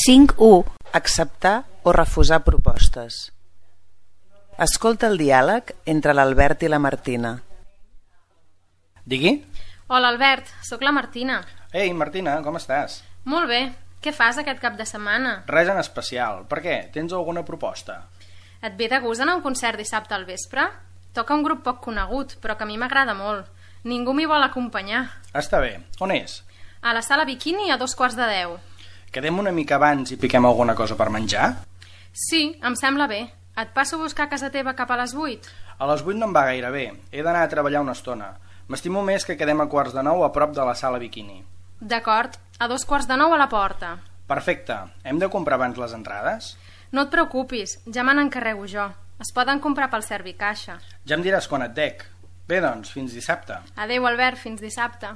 5.1. Acceptar o refusar propostes. Escolta el diàleg entre l'Albert i la Martina. Digui? Hola Albert, sóc la Martina. Ei, Martina, com estàs? Molt bé, què fas aquest cap de setmana? Res en especial. Per què? Tens alguna proposta? Et ve de gust anar a un concert dissabte al vespre? Toca un grup poc conegut, però que a mi m'agrada molt. Ningú m'hi vol acompanyar. Està bé. On és? A la sala Bikini a 2:15. Quedem una mica abans i piquem alguna cosa per menjar? Sí, em sembla bé. Et passo a buscar a casa teva cap a les 8? A les 8 no em va gaire bé. He d'anar a treballar una estona. M'estimo més que quedem a 8:45 a prop de la sala Bikini. D'acord, a 8:45 a la porta. Perfecte. Hem de comprar abans les entrades? No et preocupis, ja me n'encarrego jo. Es poden comprar pel Servicaixa. Ja em diràs quan et dec. Bé, doncs, fins dissabte. Adéu, Albert, fins dissabte.